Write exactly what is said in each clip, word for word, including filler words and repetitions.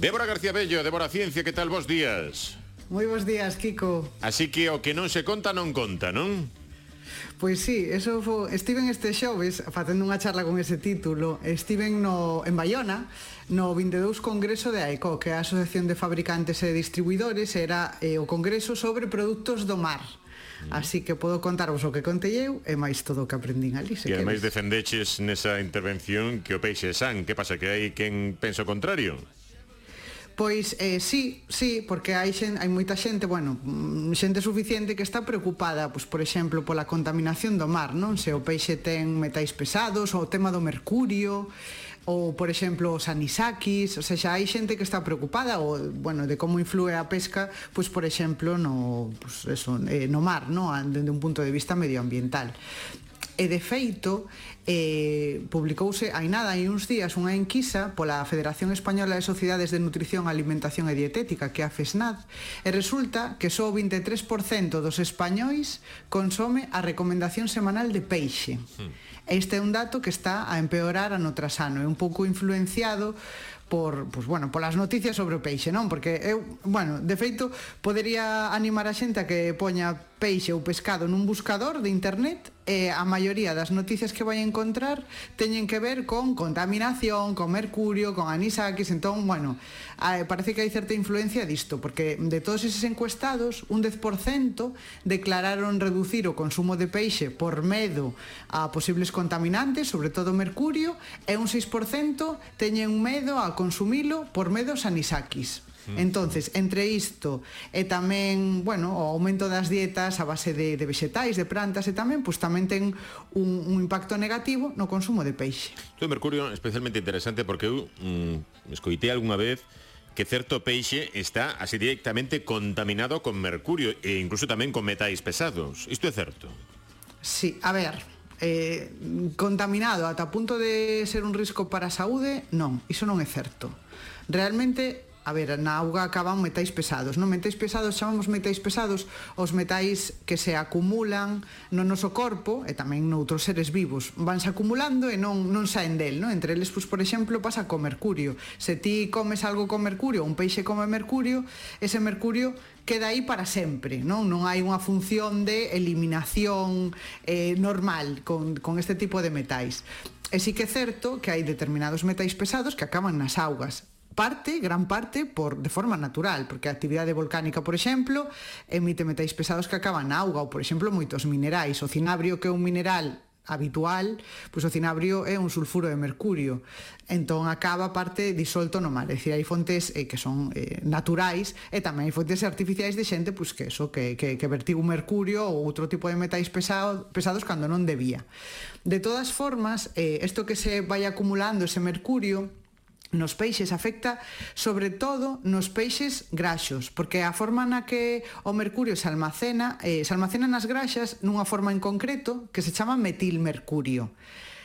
Débora García Bello, Débora Ciencia, que tal, bos días? Moi bons días, Kiko. Así que o que non se conta non conta, non? Pois sí, eso fo, estiven este xoves facendo unha charla con ese título. Estiven no, en Baiona no vinte e dous Congreso de AECO, que é a Asociación de Fabricantes e Distribuidores. Era eh, o congreso sobre produtos do mar. Así que podo contarvos o que contei eu e máis todo o que aprendín ali, se E ademais queres. defendeches nesa intervención que o peixe é san. Que pasa, que hai quen pensa o contrario? Pois eh, sí, sí, porque hai xen, hai moita xente, bueno, xente suficiente que está preocupada, pois por exemplo, pola contaminación do mar, non? Se o peixe ten metais pesados, ou o tema do mercurio, ou por exemplo os anisakis, ou seja, hai xente que está preocupada ou, bueno, de como influe a pesca, pois por exemplo, no, pois eso, eh, no mar, non? Dende un punto de vista medioambiental. E de feito, eh, publicouse hai nada, hai uns días, unha enquisa pola Federación Española de Sociedades de Nutrición, Alimentación e Dietética, que é a FESNAD, e resulta que só o vinte e tres por cento dos españois consome a recomendación semanal de peixe. Este é un dato que está a empeorar ano tras ano, é un pouco influenciado por, pues, bueno, polas noticias sobre o peixe, non? Porque eu, bueno, de feito, podería animar a xente a que poña peixe ou pescado nun buscador de internet e a maioría das noticias que vai encontrar teñen que ver con contaminación, con mercurio, con anisakis. Entón, bueno, parece que hai certa influencia disto, porque de todos eses encuestados, un dez por cento declararon reducir o consumo de peixe por medo a posibles contaminantes, sobre todo mercurio, e un seis por cento teñen medo a consumilo por medo aos anisakis. Entonces, entre isto e tamén, bueno, o aumento das dietas a base de, de vegetais, de plantas e tamén, pois tamén ten un, un impacto negativo no consumo de peixe. O mercurio é especialmente interesante porque eu mm, escoitei algunha vez que certo peixe está así directamente contaminado con mercurio e incluso tamén con metais pesados. Isto é certo? Sí, a ver, eh, contaminado ata punto de ser un risco para a saúde, non, iso non é certo. Realmente, a ver, na auga acaban metais pesados, non? Metais pesados, chamamos metais pesados os metais que se acumulan no noso corpo e tamén noutros seres vivos, vanse acumulando e non, non saen del, non? Entre eles, pois, por exemplo, pasa co mercurio. Se ti comes algo con mercurio, un peixe come mercurio, ese mercurio queda aí para sempre, non? Non hai unha función de eliminación eh, normal con, con este tipo de metais. E sí que é certo que hai determinados metais pesados que acaban nas augas. Parte, gran parte, por, de forma natural, porque a actividade volcánica, por exemplo, emite metais pesados que acaban na auga, ou, por exemplo, moitos minerais. O cinabrio, que é un mineral habitual, pois o cinabrio é un sulfuro de mercurio, entón acaba parte disolto no mar. É dicir, hai fontes eh, que son eh, naturais e tamén hai fontes artificiais de xente pois que eso, que, que, que vertigo mercurio ou outro tipo de metais pesado, pesados cando non debía. De todas formas, eh, isto que se vai acumulando, ese mercurio nos peixes, afecta sobre todo nos peixes graxos, porque a forma na que o mercurio se almacena, eh, se almacena nas graxas nunha forma en concreto que se chama metilmercurio.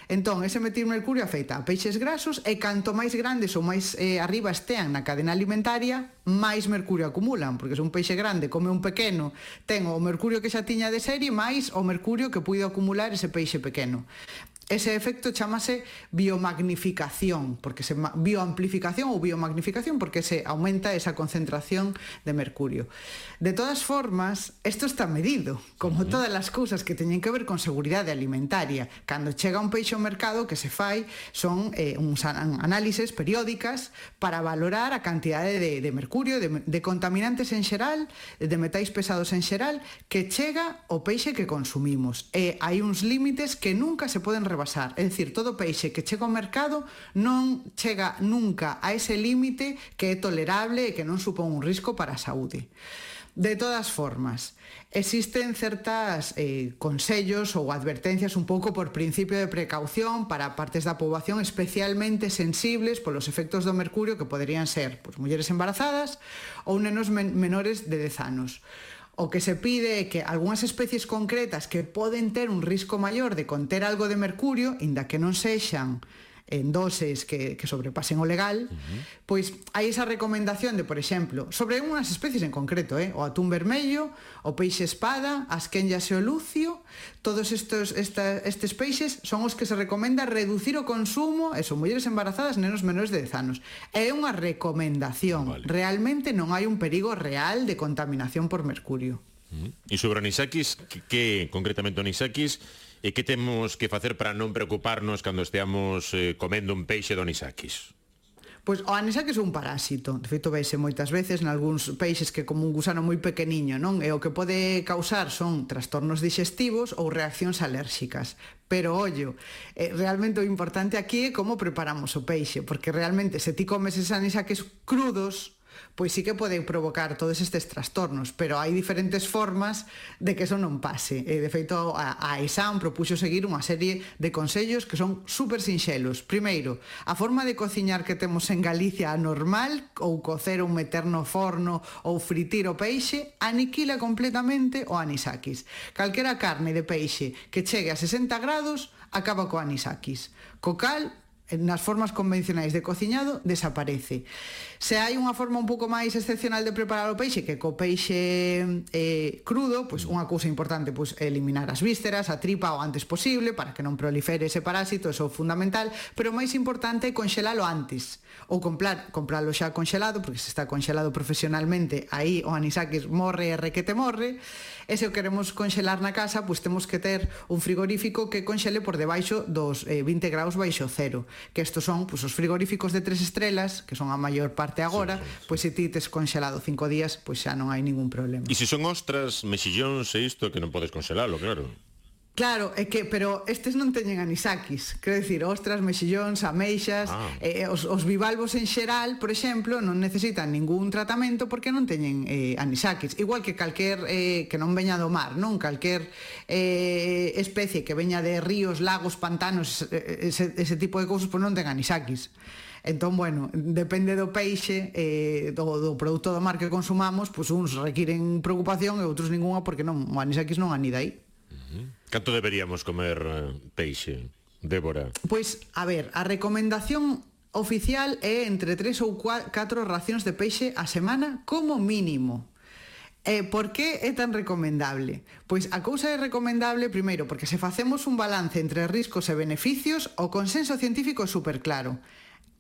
Entón, ese metilmercurio afecta a peixes grasos e canto máis grandes ou máis eh, arriba estean na cadena alimentaria, máis mercurio acumulan, porque se un peixe grande come un pequeno, ten o mercurio que xa tiña de serie máis o mercurio que puido acumular ese peixe pequeno. Ese efecto chamase biomagnificación, porque se bioamplificación ou biomagnificación, porque se aumenta esa concentración de mercurio. De todas formas, isto está medido, como todas as cousas que teñen que ver con seguridade alimentaria. Cando chega un peixe ao mercado, que se fai son eh, uns análises periódicas para valorar a cantidade de, de mercurio, de, de contaminantes en xeral, de metais pesados en xeral, que chega ao peixe que consumimos. E hai uns límites que nunca se poden rebasar, é dicir, todo peixe que chega ao mercado non chega nunca a ese límite que é tolerable e que non supón un risco para a saúde. De todas formas, existen certas eh, consellos ou advertencias un pouco por principio de precaución para partes da poboación especialmente sensibles polos efectos do mercurio, que poderían ser pois, mulleres embarazadas ou nenos men- menores de dez anos. O que se pide é que algunhas especies concretas que poden ter un risco maior de conter algo de mercurio, inda que non sexan en doses que, que sobrepasen o legal, uh-huh. pois hai esa recomendación de, por exemplo, sobre unhas especies en concreto, eh? o atún vermello, o peixe espada, as quenllas e o lucio, todos estos, esta, estes peixes son os que se recomenda reducir o consumo, eso, mulleres embarazadas, nenos menores de dez anos. É unha recomendación, vale. Realmente non hai un perigo real de contaminación por mercurio. Uh-huh. E sobre o anisakis, que, que concretamente o anisakis, e que temos que facer para non preocuparnos cando esteamos eh, comendo un peixe do anisakis? Pois o anisakis é un parásito, de feito veise moitas veces nalgúns peixes que como un gusano moi pequeniño, non? E o que pode causar son trastornos digestivos ou reaccións alérxicas. Pero, ollo, eh, realmente o importante aquí é como preparamos o peixe, porque realmente se ti comes eses anisakis crudos, pois sí que poden provocar todos estes trastornos, pero hai diferentes formas de que eso non pase. E, de feito, a, a E S A M propuxo seguir unha serie de consellos que son super sinxelos. Primeiro, a forma de cociñar que temos en Galicia normal, ou cocer ou meter no forno ou fritir o peixe, aniquila completamente o anisakis. Calquera carne de peixe que chegue a sesenta grados acaba co anisakis. Co cal, nas formas convencionais de cociñado desaparece. Se hai unha forma un pouco máis excepcional de preparar o peixe, que co peixe eh, crudo, pois unha cousa importante, pois eliminar as vísceras, a tripa o antes posible para que non prolifere ese parásito, eso é fundamental, pero o máis importante é conxelalo antes, ou comprar, compralo xa conxelado, porque se está conxelado profesionalmente, aí o anisakis morre e requete morre. E se o queremos conxelar na casa, pois temos que ter un frigorífico que conxele por debaixo dos eh, vinte graus baixo cero, que estos son pois, os frigoríficos de tres estrelas, que son a maior parte agora, sí, sí, sí. Pois se ti tes conxelado cinco días, pois xa non hai ningún problema. E se son ostras, mexillóns e isto, que non podes conxelalo, claro. Claro, é que, pero estes non teñen anisakis, quero dicir, ostras, mexillóns, ameixas, ah. eh, os, os bivalvos en xeral, por exemplo, non necesitan ningún tratamento porque non teñen eh, anisakis, igual que calquer eh, que non veña do mar, non? Calquer eh, especie que veña de ríos, lagos, pantanos, ese, ese tipo de cousas, pois non ten anisakis. Entón, bueno, depende do peixe, eh, do, do produto do mar que consumamos, pois uns requiren preocupación e outros ninguna porque non, o anisakis non anida aí. Canto deberíamos comer uh, peixe, Débora? Pois, a ver, a recomendación oficial é entre tres ou catro racións de peixe a semana como mínimo. E por que é tan recomendable? Pois a cousa é recomendable, primeiro, porque se facemos un balance entre riscos e beneficios, o consenso científico é super claro.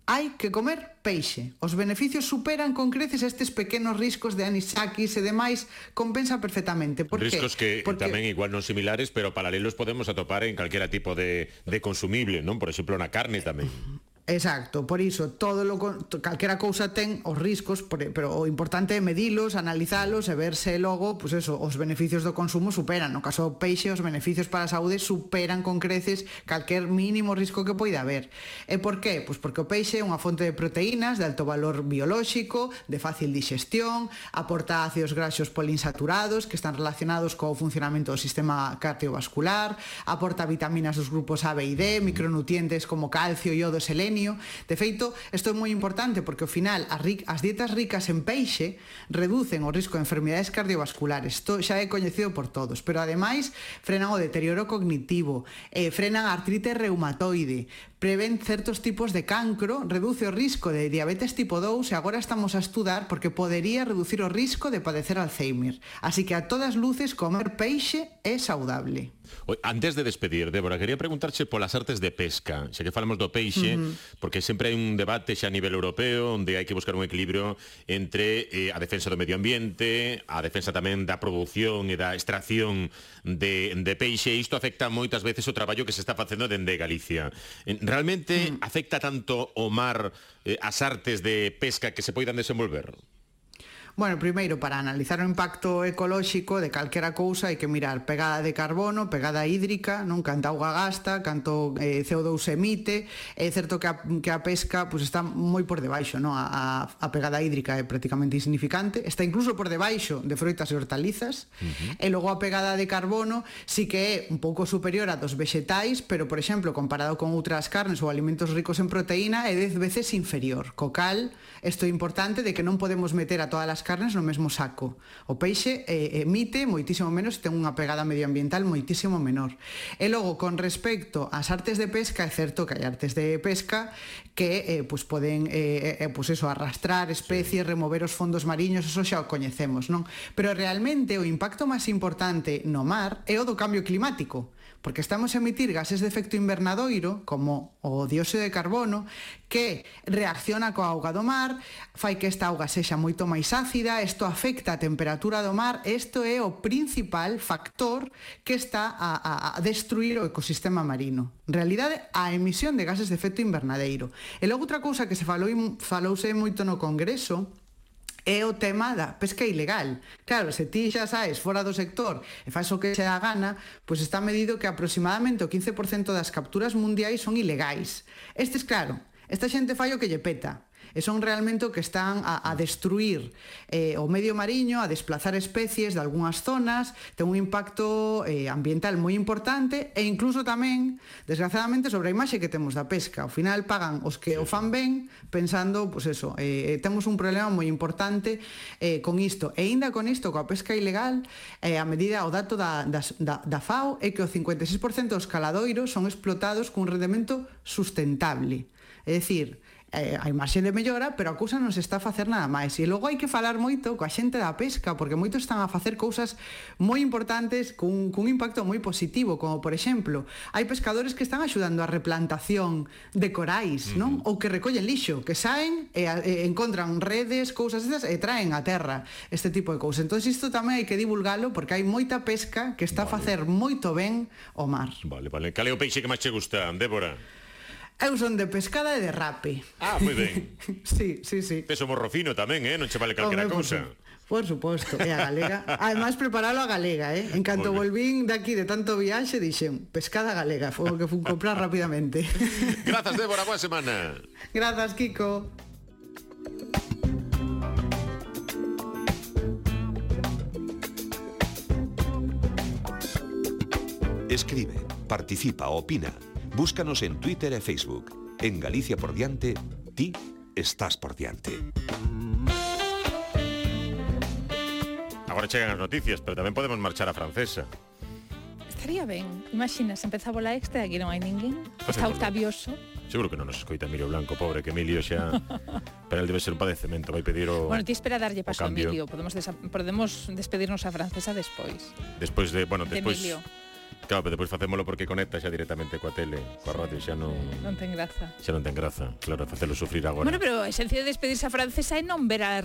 Hai que comer peixe. Os beneficios superan con creces estes pequenos riscos de anisakis e demais, compensa perfectamente. Por riscos que? que Porque... tamén igual non similares, pero paralelos podemos atopar en calquera tipo de, de consumible, non? Por exemplo, na carne tamén. Exacto, por iso todo lo calquera cousa ten os riscos, pero o importante é medilos, analizalos e verse logo, pois pues eso, os beneficios do consumo superan. No caso do peixe, os beneficios para a saúde superan con creces calquer mínimo risco que poida haber. E por qué? Pois porque o peixe é unha fonte de proteínas de alto valor biolóxico, de fácil digestión, aporta ácidos graxos poliinsaturados que están relacionados co funcionamento do sistema cardiovascular, aporta vitaminas dos grupos A, B e D, micronutrientes como calcio, iodo, selenio. De feito, isto é moi importante porque ao final as, ric as dietas ricas en peixe reducen o risco de enfermidades cardiovasculares. Isto xa é coñecido por todos, pero ademais frenan o deterioro cognitivo, eh, frenan a artrite reumatoide, prevén certos tipos de cancro, reduce o risco de diabetes tipo dous e agora estamos a estudar porque podería reducir o risco de padecer Alzheimer. Así que a todas luces comer peixe é saudable. Antes de despedir, Débora, quería preguntarche polas artes de pesca, xa que falamos do peixe, uh-huh. porque sempre hai un debate xa a nivel europeo onde hai que buscar un equilibrio entre eh, a defensa do medio ambiente, a defensa tamén da produción e da extracción de, de peixe, e isto afecta moitas veces o traballo que se está facendo dende Galicia. Realmente uh-huh. afecta tanto o mar eh, as artes de pesca que se poidan desenvolver? Bueno, primeiro, para analizar o impacto ecolóxico de calquera cousa hai que mirar pegada de carbono, pegada hídrica, non canta auga gasta, canto eh, C O dous emite. É certo que a, que a pesca pues, está moi por debaixo, non? A, a pegada hídrica é prácticamente insignificante, está incluso por debaixo de froitas e hortalizas, uh-huh. e logo a pegada de carbono sí que é un pouco superior a dos vexetais, pero, por exemplo, comparado con outras carnes ou alimentos ricos en proteína, é dez veces inferior. Co cal, isto é importante de que non podemos meter a todas as carnes no mesmo saco. O peixe eh, emite moitísimo menos, ten unha pegada medioambiental moitísimo menor. E logo, con respecto ás artes de pesca, é certo que hai artes de pesca que eh, pues poden eh, eh, pues eso, arrastrar especies, remover os fondos mariños, eso xa o coñecemos, non? Pero realmente o impacto máis importante no mar é o do cambio climático, porque estamos a emitir gases de efecto invernadoiro, como o dióxido de carbono, que reacciona coa auga do mar, fai que esta auga sexa moito máis ácida, isto afecta a temperatura do mar, isto é o principal factor que está a, a, a destruir o ecosistema marino. En realidade, a emisión de gases de efecto invernadeiro. E logo outra cousa que se falou, falouse moito no Congreso, é o tema da pesca ilegal. Claro, se ti xa saes fora do sector e faz o que se dá gana, pois está medido que aproximadamente o quince por cento das capturas mundiais son ilegais. Estes, claro, esta xente fai o que lle peta. E son realmente o que están a, a destruir eh, o medio mariño, a desplazar especies de algunhas zonas, ten un impacto eh, ambiental moi importante e incluso tamén, desgraciadamente, sobre a imaxe que temos da pesca. Ao final pagan os que o fan ben pensando, pois eso, eh, temos un problema moi importante eh, con isto. E ainda con isto, coa pesca ilegal, eh, a medida, o dato da, da, da FAO é que o cincuenta e seis por cento dos caladoiros son explotados cun rendemento sustentable. É dicir, eh, hai marxe de mellora, pero a cousa non se está a facer nada máis. E logo hai que falar moito coa xente da pesca, porque moitos están a facer cousas moi importantes cun, cun impacto moi positivo, como por exemplo, hai pescadores que están axudando a replantación de corais, non? Ou que recollen lixo, que saen e, e encontran redes, cousas esas, e traen a terra este tipo de cousas. Entón isto tamén hai que divulgalo, porque hai moita pesca que está vale. a facer moito ben ao mar. Vale, vale. Cal é o peixe que máis che gusta, Débora? Eu son de pescada e de rape. Ah, moi ben. Sí, sí, sí. Peso morro fino tamén, eh? Non che vale calquera cousa. Por suposto, é a galega. Ademais, preparalo a galega, eh? En canto volvín daqui de tanto viaxe, dixen, pescada galega, foi o que fun comprar rapidamente. Grazas, Débora, boa semana. Grazas, Kiko. Escribe, participa, opina. Búscanos en Twitter e Facebook. En Galicia por diante, ti estás por diante. Agora chegan as noticias, pero tamén podemos marchar a Francesa. Estaría ben. Imaginas, empeza a bola extra e aquí non hai ninguén. Está Octavioso. Seguro que non nos escoita Emilio Blanco, pobre, que Emilio xa... Pero el debe ser un padecemento, vai pedir o... Bueno, ti espera darlle paso a Emilio. Podemos, desa... Podemos despedirnos a Francesa despois. Despois de... Bueno, despois... De Emilio. Claro, pero depois facémolo porque conecta xa directamente coa tele, coa radio, xa non... Non ten graza. Xa non ten graza, claro, facelo sufrir agora. Bueno, pero a esencia de despedirse a Francesa é non ver a